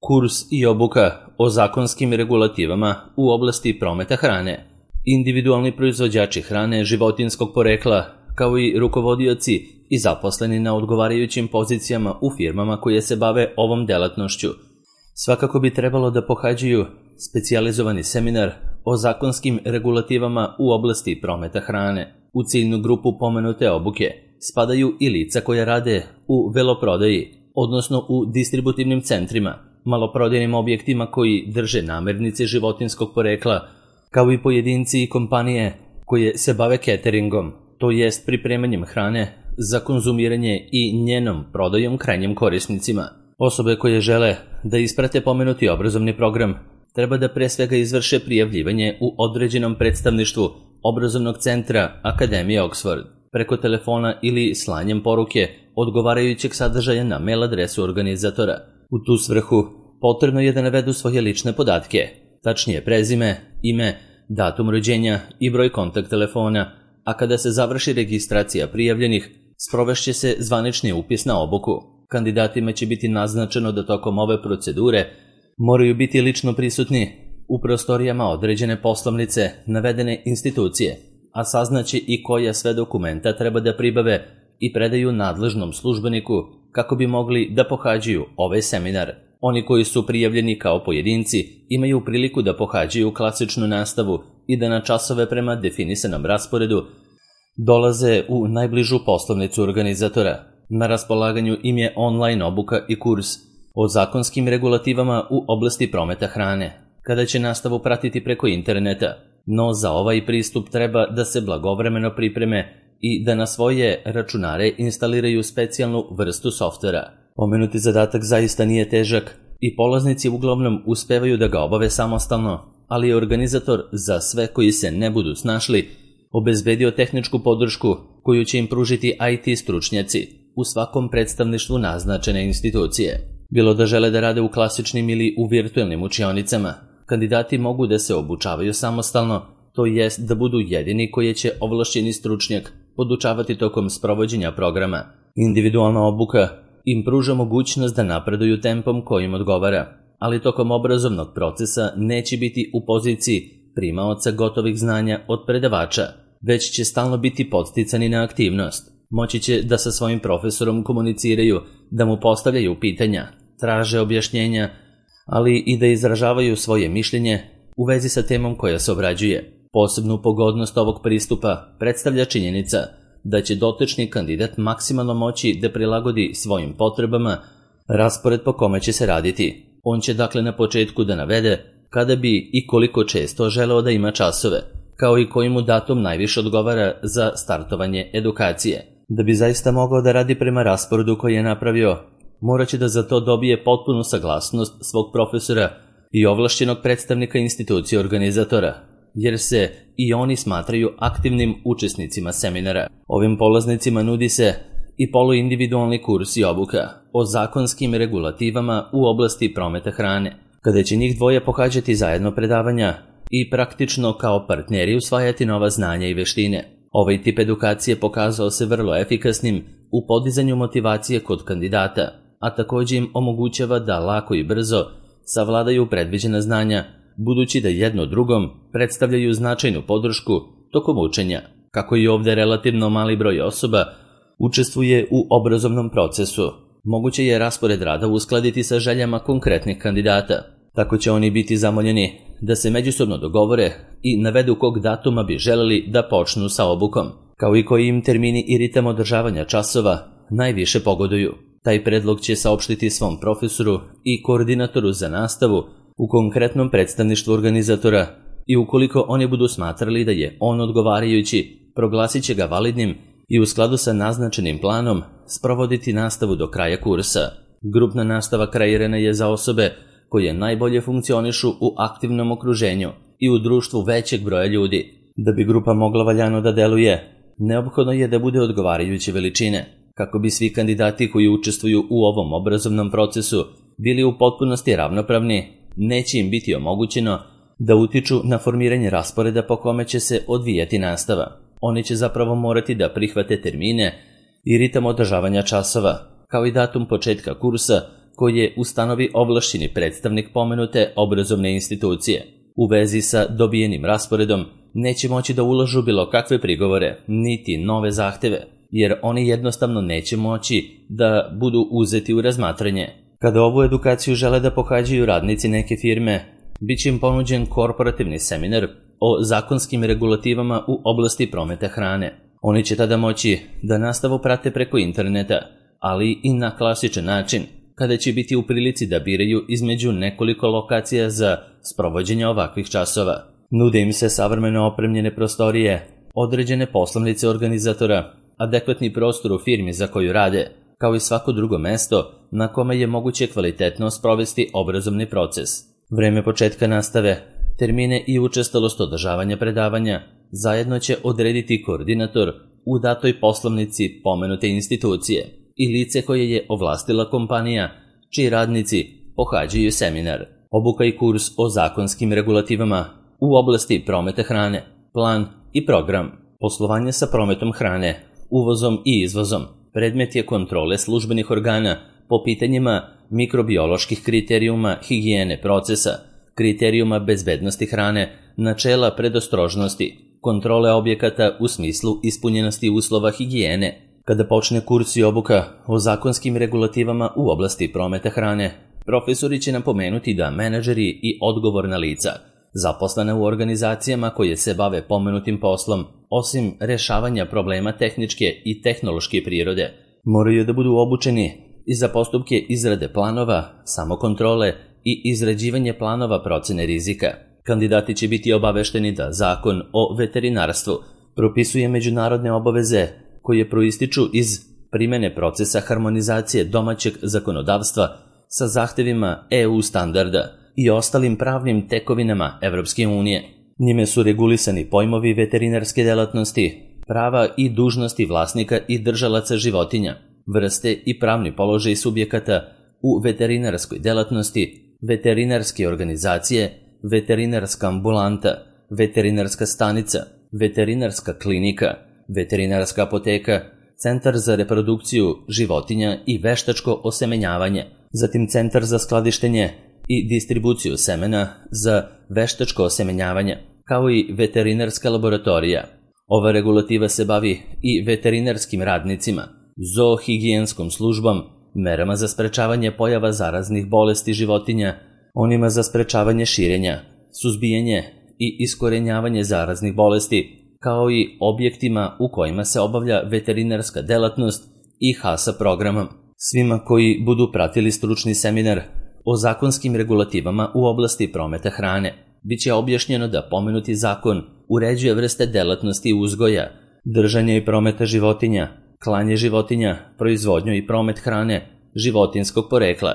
Kurs i obuka o zakonskim regulativama u oblasti prometa hrane. Individualni proizvođači hrane životinjskog porekla, kao i rukovodioci i zaposleni na odgovarajućim pozicijama u firmama koje se bave ovom delatnošću, svakako bi trebalo da pohađaju specijalizovani seminar o zakonskim regulativama u oblasti prometa hrane. U ciljnu grupu pomenute obuke spadaju i lica koja rade u veloprodaji, odnosno u distributivnim centrima, maloprodajnim objektima koji drže namirnice životinjskog porekla, kao i pojedinci i kompanije koje se bave cateringom, to jest pripremanjem hrane za konzumiranje i njenom prodajom krajnjim korisnicima. Osobe koje žele da isprate pomenuti obrazovni program treba da pre svega izvrše prijavljivanje u određenom predstavništvu obrazovnog centra Akademije Oxford preko telefona ili slanjem poruke odgovarajućeg sadržaja na mail adresu organizatora. U tu svrhu potrebno je da navedu svoje lične podatke, tačnije prezime, ime, datum rođenja i broj kontakt telefona, a kada se završi registracija prijavljenih, sprovešće se zvanični upis na obuku. Kandidatima će biti naznačeno da tokom ove procedure moraju biti lično prisutni u prostorijama određene poslovnice navedene institucije, a saznaće i koja sve dokumenta treba da pribave i predaju nadležnom službeniku kako bi mogli da pohađaju ovaj seminar. Oni koji su prijavljeni kao pojedinci imaju priliku da pohađaju klasičnu nastavu i da na časove prema definisanom rasporedu dolaze u najbližu poslovnicu organizatora. Na raspolaganju im je online obuka i kurs o zakonskim regulativama u oblasti prometa hrane, kada će nastavu pratiti preko interneta, no za ovaj pristup treba da se blagovremeno pripreme i da na svoje računare instaliraju specijalnu vrstu softvera. Pomenuti zadatak zaista nije težak i polaznici uglavnom uspevaju da ga obave samostalno, ali je organizator za sve koji se ne budu snašli obezbedio tehničku podršku koju će im pružiti IT stručnjaci u svakom predstavništvu naznačene institucije. Bilo da žele da rade u klasičnim ili u virtualnim učionicama, kandidati mogu da se obučavaju samostalno, to jest da budu jedini koji će ovlašćeni stručnjak podučavati tokom sprovođenja programa. Individualna obuka im pruža mogućnost da napreduju tempom kojim odgovara, ali tokom obrazovnog procesa neće biti u poziciji primaoca gotovih znanja od predavača, već će stalno biti podsticani na aktivnost. Moći će da sa svojim profesorom komuniciraju, da mu postavljaju pitanja, traže objašnjenja, ali i da izražavaju svoje mišljenje u vezi sa temom koja se obrađuje. Posebnu pogodnost ovog pristupa predstavlja činjenica da će dotični kandidat maksimalno moći da prilagodi svojim potrebama raspored po kome će se raditi. On će dakle na početku da navede kada bi i koliko često želeo da ima časove, kao i koji mu datum najviše odgovara za startovanje edukacije. Da bi zaista mogao da radi prema rasporedu koji je napravio, morat će da za to dobije potpunu saglasnost svog profesora i ovlašćenog predstavnika institucije organizatora, jer se i oni smatraju aktivnim učesnicima seminara. Ovim polaznicima nudi se i poluindividualni kurs i obuka o zakonskim regulativama u oblasti prometa hrane, kada će njih dvoje pohađati zajedno predavanja i praktično kao partneri usvajati nova znanja i veštine. Ovaj tip edukacije pokazao se vrlo efikasnim u podizanju motivacije kod kandidata, a također im omogućava da lako i brzo savladaju predviđena znanja, budući da jedno drugom predstavljaju značajnu podršku tokom učenja. Kako i ovdje relativno mali broj osoba učestvuje u obrazovnom procesu, moguće je raspored rada uskladiti sa željama konkretnih kandidata. Tako će oni biti zamoljeni da se međusobno dogovore i navedu kog datuma bi želeli da počnu sa obukom, kao i koji im termini i ritam održavanja časova najviše pogoduju. Taj predlog će saopštiti svom profesoru i koordinatoru za nastavu u konkretnom predstavništvu organizatora i ukoliko oni budu smatrali da je on odgovarajući, proglasit će ga validnim i u skladu sa naznačenim planom sprovoditi nastavu do kraja kursa. Grupna nastava kreirana je za osobe koje najbolje funkcionišu u aktivnom okruženju i u društvu većeg broja ljudi. Da bi grupa mogla valjano da deluje, neophodno je da bude odgovarajuće veličine. Kako bi svi kandidati koji učestvuju u ovom obrazovnom procesu bili u potpunosti ravnopravni, neće im biti omogućeno da utiču na formiranje rasporeda po kome će se odvijati nastava. Oni će zapravo morati da prihvate termine i ritam održavanja časova, kao i datum početka kursa koje ustanovi ovlašćeni predstavnik pomenute obrazovne institucije. U vezi sa dobijenim rasporedom neće moći da ulažu bilo kakve prigovore, niti nove zahteve, jer oni jednostavno neće moći da budu uzeti u razmatranje. Kada ovu edukaciju žele da pohađaju radnici neke firme, bit će im ponuđen korporativni seminar o zakonskim regulativama u oblasti prometa hrane. Oni će tada moći da nastavu prate preko interneta, ali i na klasičan način, kada će biti u prilici da biraju između nekoliko lokacija za sprovođenje ovakvih časova. Nude im se savremeno opremljene prostorije, određene poslovnice organizatora, adekvatni prostor u firmi za koju rade, kao i svako drugo mesto na kome je moguće kvalitetno sprovesti obrazovni proces. Vreme početka nastave, termine i učestalost održavanja predavanja zajedno će odrediti koordinator u datoj poslovnici pomenute institucije i lice koje je ovlastila kompanija čiji radnici pohađaju seminar. Obuka i kurs o zakonskim regulativama u oblasti prometa hrane, plan i program. Poslovanje sa prometom hrane, uvozom i izvozom predmet je kontrole službenih organa po pitanjima mikrobioloških kriterijuma higijene procesa, kriterijuma bezbednosti hrane, načela predostrožnosti, kontrole objekata u smislu ispunjenosti uslova higijene. Kada počne kurs i obuka o zakonskim regulativama u oblasti prometa hrane, profesori će napomenuti da menadžeri i odgovorna lica, zaposlena u organizacijama koje se bave pomenutim poslom, osim rešavanja problema tehničke i tehnološke prirode, moraju da budu obučeni i za postupke izrade planova, samokontrole i izrađivanje planova procene rizika. Kandidati će biti obavešteni da Zakon o veterinarstvu propisuje međunarodne obaveze koje proističu iz primene procesa harmonizacije domaćeg zakonodavstva sa zahtevima EU standarda i ostalim pravnim tekovinama Evropske unije. Njime su regulisani pojmovi veterinarske delatnosti, prava i dužnosti vlasnika i držalaca životinja, vrste i pravni položaj subjekata u veterinarskoj delatnosti, veterinarske organizacije, veterinarska ambulanta, veterinarska stanica, veterinarska klinika, veterinarska apoteka, centar za reprodukciju životinja i veštačko osemenjavanje, zatim centar za skladištenje i distribuciju semena za veštačko osemenjavanje, kao i veterinarska laboratorija. Ova regulativa se bavi i veterinarskim radnicima, zoohigijenskom službom, merama za sprečavanje pojava zaraznih bolesti životinja, onima za sprečavanje širenja, suzbijanje i iskorenjavanje zaraznih bolesti, kao i objektima u kojima se obavlja veterinarska delatnost i HASA programom. Svima koji budu pratili stručni seminar o zakonskim regulativama u oblasti prometa hrane, bit će objašnjeno da pomenuti zakon uređuje vrste delatnosti uzgoja, držanja i prometa životinja, klanje životinja, proizvodnju i promet hrane životinjskog porekla,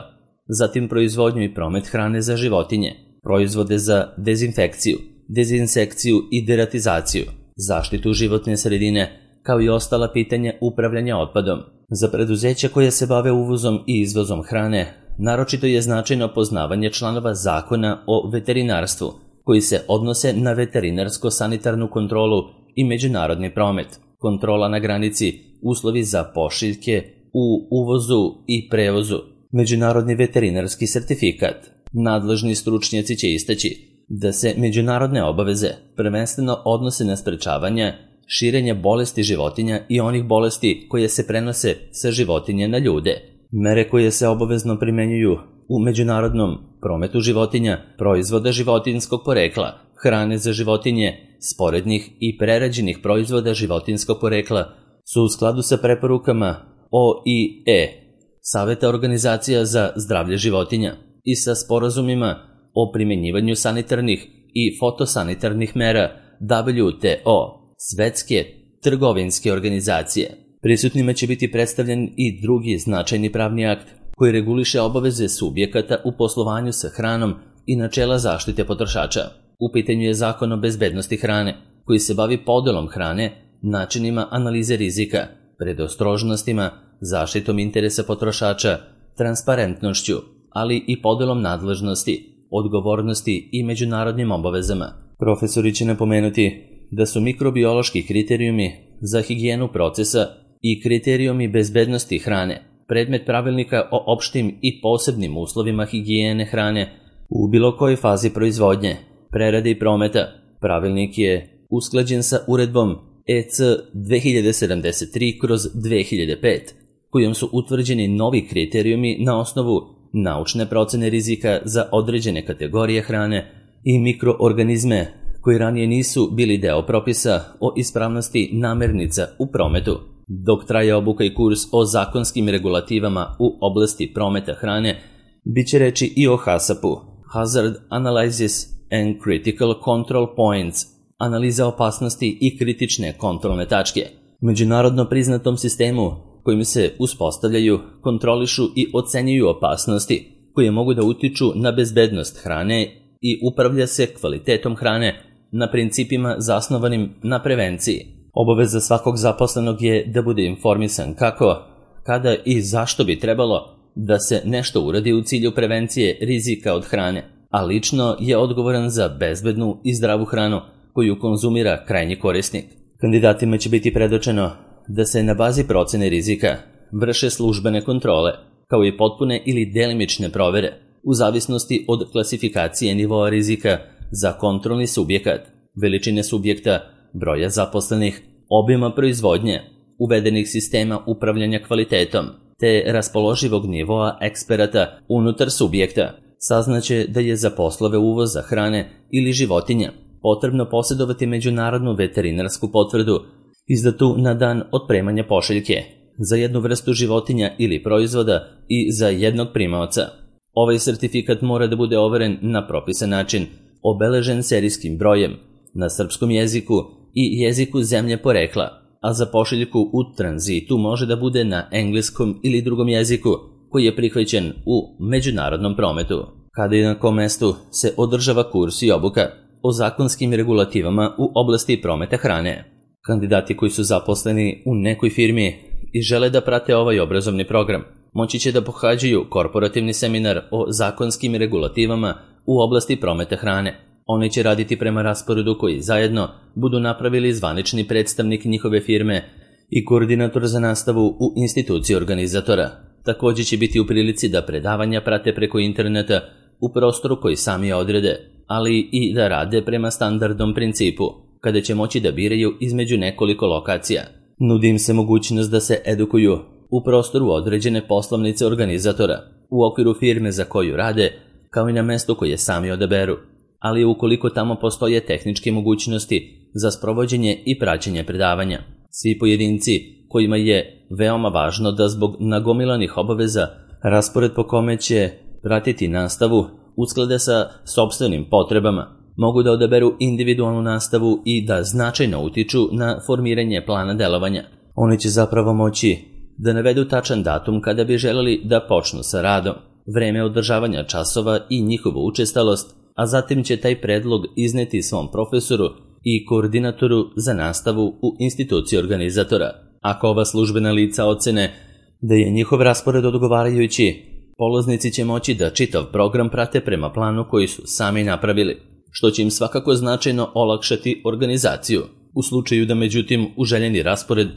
zatim proizvodnju i promet hrane za životinje, proizvode za dezinfekciju, dezinsekciju i deratizaciju, zaštitu životne sredine, kao i ostala pitanja upravljanja otpadom. Za preduzeća koje se bave uvozom i izvozom hrane, naročito je značajno poznavanje članova Zakona o veterinarstvu, koji se odnose na veterinarsko-sanitarnu kontrolu i međunarodni promet, kontrola na granici, uslovi za pošiljke u uvozu i prevozu, međunarodni veterinarski sertifikat. Nadležni stručnjaci će istaći da se međunarodne obaveze prvenstveno odnose na sprečavanje širenja bolesti životinja i onih bolesti koje se prenose sa životinje na ljude. Mere koje se obavezno primenjuju u međunarodnom prometu životinja, proizvoda životinjskog porekla, hrane za životinje, sporednih i prerađenih proizvoda životinjskog porekla su u skladu sa preporukama OIE, Saveta organizacija za zdravlje životinja, i sa sporazumima o primenjivanju sanitarnih i fotosanitarnih mera WTO, Svetske trgovinske organizacije. Prisutnima će biti predstavljen i drugi značajni pravni akt koji reguliše obaveze subjekata u poslovanju sa hranom i načela zaštite potrošača. U pitanju je Zakon o bezbednosti hrane, koji se bavi podelom hrane, načinima analize rizika, predostrožnostima, zaštitom interesa potrošača, transparentnošću, ali i podelom nadležnosti, odgovornosti i međunarodnim obavezama. Profesori će napomenuti da su mikrobiološki kriterijumi za higijenu procesa i kriterijumi bezbednosti hrane predmet pravilnika o opštim i posebnim uslovima higijene hrane u bilo kojoj fazi proizvodnje, prerade i prometa. Pravilnik je usklađen sa uredbom EC 2073/2005, kojom su utvrđeni novi kriterijumi na osnovu naučne procene rizika za određene kategorije hrane i mikroorganizme koji ranije nisu bili deo propisa o ispravnosti namirnica u prometu. Dok traje obuka i kurs o zakonskim regulativama u oblasti prometa hrane, bit će reći i o HACCP-u, Hazard Analysis and Critical Control Points, analiza opasnosti i kritične kontrolne tačke, međunarodno priznatom sistemu kojim se uspostavljaju, kontrolišu i ocenjuju opasnosti koje mogu da utiču na bezbednost hrane i upravlja se kvalitetom hrane na principima zasnovanim na prevenciji. Obaveza svakog zaposlenog je da bude informisan kako, kada i zašto bi trebalo da se nešto uradi u cilju prevencije rizika od hrane, a lično je odgovoran za bezbednu i zdravu hranu koju konzumira krajnji korisnik. Kandidatima će biti predočeno da se na bazi procene rizika vrše službene kontrole, kao i potpune ili delimične provere, u zavisnosti od klasifikacije nivoa rizika za kontrolni subjekat, veličine subjekta, broja zaposlenih, obima proizvodnje, uvedenih sistema upravljanja kvalitetom, te raspoloživog nivoa eksperata unutar subjekta. Saznaće da je za poslove uvoza hrane ili životinja potrebno posjedovati međunarodnu veterinarsku potvrdu izdatu na dan otpremanja pošiljke za jednu vrstu životinja ili proizvoda i za jednog primaoca. Ovaj sertifikat mora da bude overen na propisan način, obeležen serijskim brojem, na srpskom jeziku i jeziku zemlje porekla, a za pošiljku u tranzitu može da bude na engleskom ili drugom jeziku koji je prihvaćen u međunarodnom prometu. Kada i na kom mestu se održava kurs i obuka o zakonskim regulativama u oblasti prometa hrane. Kandidati koji su zaposleni u nekoj firmi i žele da prate ovaj obrazovni program, moći će da pohađaju korporativni seminar o zakonskim regulativama u oblasti prometa hrane. Oni će raditi prema rasporedu koji zajedno budu napravili zvanični predstavnik njihove firme i koordinator za nastavu u instituciji organizatora. Također će biti u prilici da predavanja prate preko interneta u prostoru koji sami odrede, ali i da rade prema standardnom principu, kada će moći da biraju između nekoliko lokacija. Nudi im se mogućnost da se edukuju u prostoru određene poslovnice organizatora, u okviru firme za koju rade, kao i na mestu koje sami odaberu, ali ukoliko tamo postoje tehničke mogućnosti za sprovođenje i praćenje predavanja. Svi pojedinci kojima je veoma važno da zbog nagomilanih obaveza raspored po kome će pratiti nastavu usklade sa sopstvenim potrebama, mogu da odaberu individualnu nastavu i da značajno utiču na formiranje plana delovanja. Oni će zapravo moći da navedu tačan datum kada bi želeli da počnu sa radom, vreme održavanja časova i njihovu učestalost, a zatim će taj predlog izneti svom profesoru i koordinatoru za nastavu u instituciji organizatora. Ako ova službena lica ocene da je njihov raspored odgovarajući, polaznici će moći da čitav program prate prema planu koji su sami napravili, što će im svakako značajno olakšati organizaciju. U slučaju da međutim u željeni raspored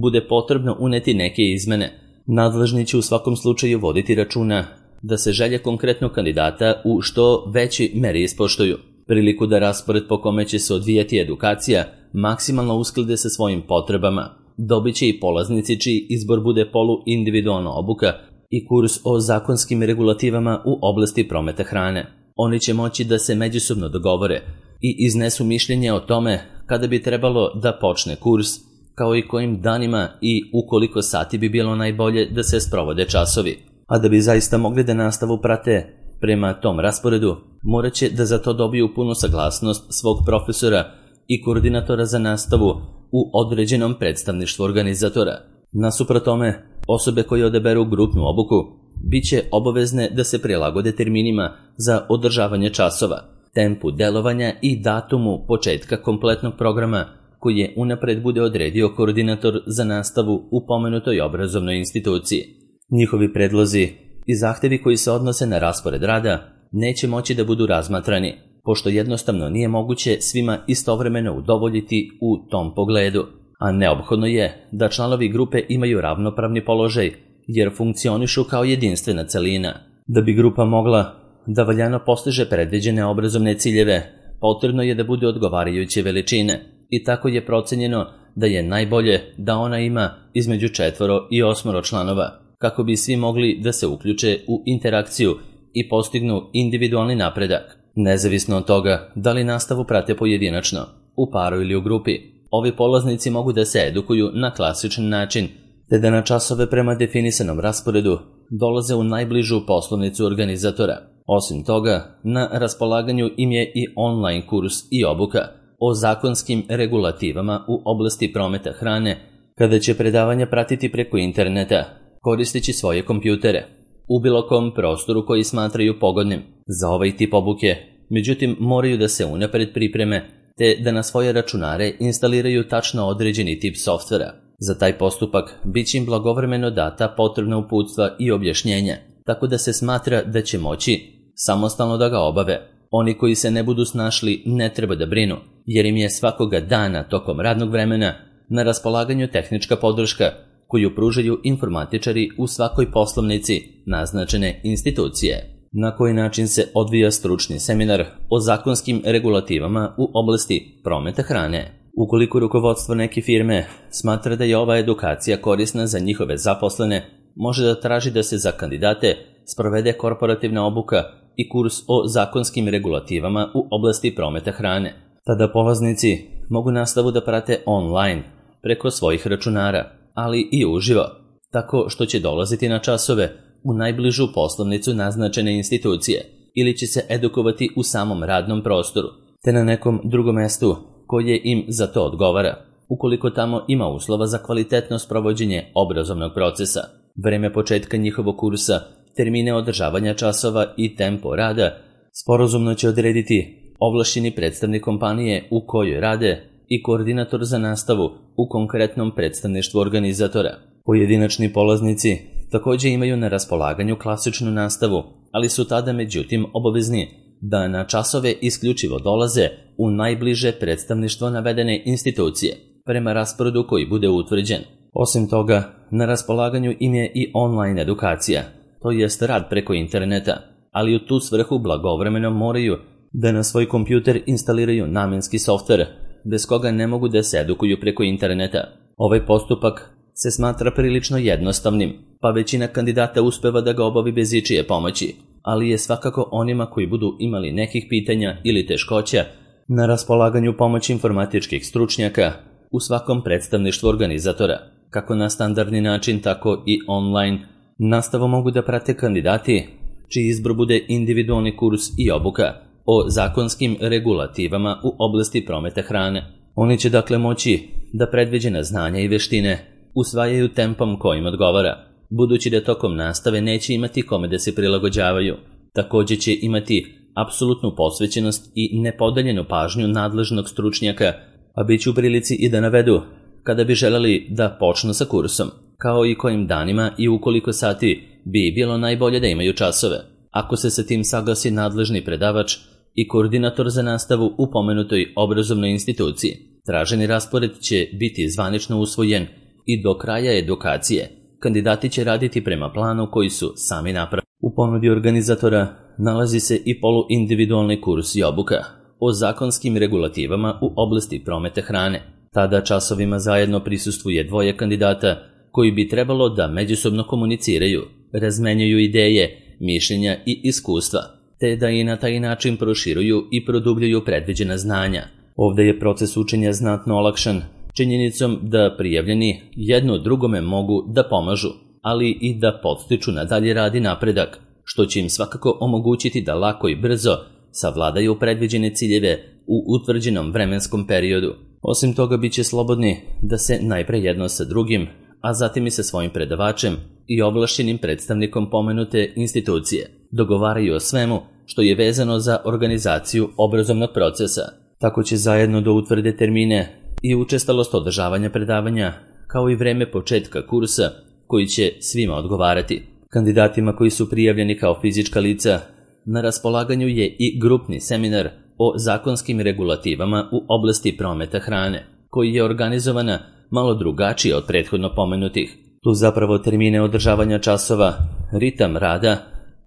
bude potrebno uneti neke izmene, nadležni će u svakom slučaju voditi računa da se želje konkretnog kandidata u što veći meri ispoštuju. Priliku da raspored po kome će se odvijati edukacija maksimalno usklade sa svojim potrebama dobit će i polaznici čiji izbor bude polu-individualna obuka i kurs o zakonskim regulativama u oblasti prometa hrane. Oni će moći da se međusobno dogovore i iznesu mišljenje o tome kada bi trebalo da počne kurs, kao i kojim danima i u koliko sati bi bilo najbolje da se sprovode časovi. A da bi zaista mogli da nastavu prate prema tom rasporedu, morat će da za to dobiju punu saglasnost svog profesora i koordinatora za nastavu u određenom predstavništvu organizatora. Nasuprot tome, osobe koje odaberu grupnu obuku bit će obavezne da se prilagode terminima za održavanje časova, tempu delovanja i datumu početka kompletnog programa koji je unapred bude odredio koordinator za nastavu u pomenutoj obrazovnoj instituciji. Njihovi predlozi i zahtevi koji se odnose na raspored rada neće moći da budu razmatrani, pošto jednostavno nije moguće svima istovremeno udovoljiti u tom pogledu, a neophodno je da članovi grupe imaju ravnopravni položaj jer funkcionišu kao jedinstvena celina. Da bi grupa mogla da valjano postiže predviđene obrazovne ciljeve, potrebno je da bude odgovarajuće veličine i tako je procenjeno da je najbolje da ona ima između 4 i 8 članova, kako bi svi mogli da se uključe u interakciju i postignu individualni napredak. Nezavisno od toga da li nastavu prate pojedinačno, u paru ili u grupi, ovi polaznici mogu da se edukuju na klasičan način, te da na časove prema definisanom rasporedu dolaze u najbližu poslovnicu organizatora. Osim toga, na raspolaganju im je i online kurs i obuka o zakonskim regulativama u oblasti prometa hrane, kada će predavanja pratiti preko interneta, koristeći svoje kompjutere, u bilo kom prostoru koji smatraju pogodnim za ovaj tip obuke. Međutim, moraju da se unapred pripreme, te da na svoje računare instaliraju tačno određeni tip softvera. Za taj postupak bit će im blagovremeno data potrebna uputstva i objašnjenja, tako da se smatra da će moći samostalno da ga obave. Oni koji se ne budu snašli ne treba da brinu, jer im je svakoga dana tokom radnog vremena na raspolaganju tehnička podrška koju pružaju informatičari u svakoj poslovnici naznačene institucije. Na koji način se odvija stručni seminar o zakonskim regulativama u oblasti prometa hrane? Ukoliko rukovodstvo neke firme smatra da je ova edukacija korisna za njihove zaposlene, može da traži da se za kandidate sprovede korporativna obuka i kurs o zakonskim regulativama u oblasti prometa hrane. Tada polaznici mogu nastavu da prate online preko svojih računara, ali i uživo, tako što će dolaziti na časove u najbližu poslovnicu naznačene institucije ili će se edukovati u samom radnom prostoru, te na nekom drugom mestu koje im za to odgovara, ukoliko tamo ima uslova za kvalitetno sprovođenje obrazovnog procesa. Vreme početka njihovog kursa, termine održavanja časova i tempo rada sporazumno će odrediti ovlašćeni predstavnik kompanije u kojoj rade i koordinator za nastavu u konkretnom predstavništvu organizatora. Pojedinačni polaznici također imaju na raspolaganju klasičnu nastavu, ali su tada međutim obavezni da na časove isključivo dolaze u najbliže predstavništvo navedene institucije, prema rasporedu koji bude utvrđen. Osim toga, na raspolaganju im je i online edukacija, to jest rad preko interneta, ali u tu svrhu blagovremeno moraju da na svoj kompjuter instaliraju namenski softver, bez koga ne mogu da se edukuju preko interneta. Ovaj postupak se smatra prilično jednostavnim, pa većina kandidata uspeva da ga obavi bez ičije pomoći, ali je svakako onima koji budu imali nekih pitanja ili teškoća na raspolaganju pomoć informatičkih stručnjaka u svakom predstavništvu organizatora, kako na standardni način, tako i online. Nastavu mogu da prate kandidati čiji izbor bude individualni kurs i obuka o zakonskim regulativama u oblasti prometa hrane. Oni će dakle moći da predviđena znanja i veštine usvajaju tempom kojim odgovara, budući da tokom nastave neće imati kome da se prilagođavaju. Također će imati apsolutnu posvećenost i nepodeljenu pažnju nadležnog stručnjaka, a bit će u prilici i da navedu kada bi želeli da počnu sa kursom, kao i kojim danima i u koliko sati bi bilo najbolje da imaju časove. Ako se sa tim saglasi nadležni predavač i koordinator za nastavu u pomenutoj obrazovnoj instituciji, traženi raspored će biti zvanično usvojen i do kraja edukacije kandidati će raditi prema planu koji su sami napravili. U ponudi organizatora nalazi se i poluindividualni kurs i obuka o zakonskim regulativama u oblasti prometa hrane. Tada časovima zajedno prisustvuje 2 kandidata koji bi trebalo da međusobno komuniciraju, razmenjuju ideje, mišljenja i iskustva, te da i na taj način proširuju i produbljuju predviđena znanja. Ovdje je proces učenja znatno olakšan činjenicom da prijavljeni jedno drugome mogu da pomažu, ali i da podstiču na dalji rad i napredak, što će im svakako omogućiti da lako i brzo savladaju predviđene ciljeve u utvrđenom vremenskom periodu. Osim toga, bit će slobodni da se najpre jedno sa drugim, a zatim i sa svojim predavačem i ovlašćenim predstavnikom pomenute institucije dogovaraju o svemu što je vezano za organizaciju obrazovnog procesa. Tako će zajedno da utvrde termine i učestalost održavanja predavanja, kao i vreme početka kursa koji će svima odgovarati. Kandidatima koji su prijavljeni kao fizička lica na raspolaganju je i grupni seminar o zakonskim regulativama u oblasti prometa hrane, koji je organizovana malo drugačije od prethodno pomenutih. Tu zapravo termine održavanja časova, ritam rada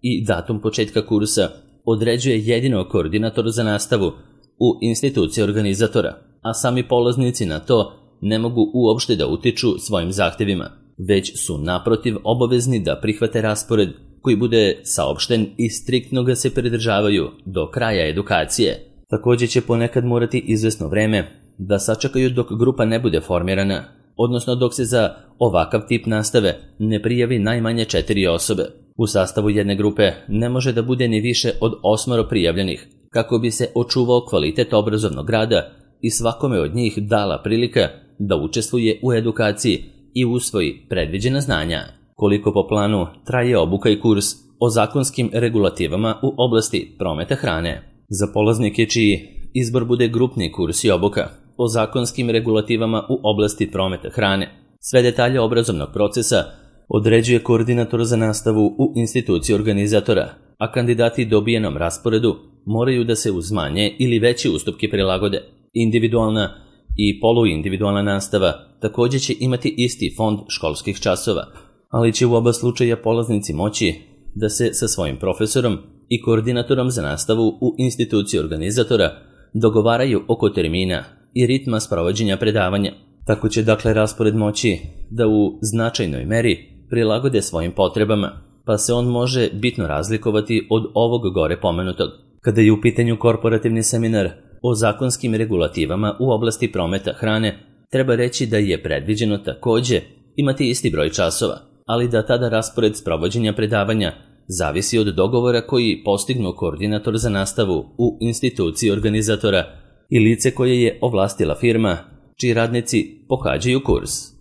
i datum početka kursa određuje jedino koordinator za nastavu u instituciji organizatora, a sami polaznici na to ne mogu uopšte da utiču svojim zahtevima, već su naprotiv obavezni da prihvate raspored koji bude saopšten i striktno ga se pridržavaju do kraja edukacije. Također će ponekad morati izvesno vreme da sačekaju dok grupa ne bude formirana, odnosno dok se za ovakav tip nastave ne prijavi najmanje 4 osobe. U sastavu jedne grupe ne može da bude ni više od 8 prijavljenih, kako bi se očuvao kvalitet obrazovnog rada i svakome od njih dala prilika da učestvuje u edukaciji i usvoji predviđena znanja. Koliko po planu traje obuka i kurs o zakonskim regulativama u oblasti prometa hrane? Za polaznike čiji izbor bude grupni kurs i obuka o zakonskim regulativama u oblasti prometa hrane, sve detalje obrazovnog procesa određuje koordinator za nastavu u instituciji organizatora, a kandidati dobijenom rasporedu moraju da se uz manje ili veće ustupke prilagode. Individualna i poluindividualna nastava također će imati isti fond školskih časova, ali će u oba slučaja polaznici moći da se sa svojim profesorom i koordinatorom za nastavu u instituciji organizatora dogovaraju oko termina i ritma sprovođenja predavanja. Tako će dakle raspored moći da u značajnoj meri prilagode svojim potrebama, pa se on može bitno razlikovati od ovog gore pomenutog. Kada je u pitanju korporativni seminar o zakonskim regulativama u oblasti prometa hrane, treba reći da je predviđeno također imati isti broj časova, ali da tada raspored sprovođenja predavanja zavisi od dogovora koji postignu koordinator za nastavu u instituciji organizatora i lice koje je ovlastila firma čiji radnici pohađaju kurs.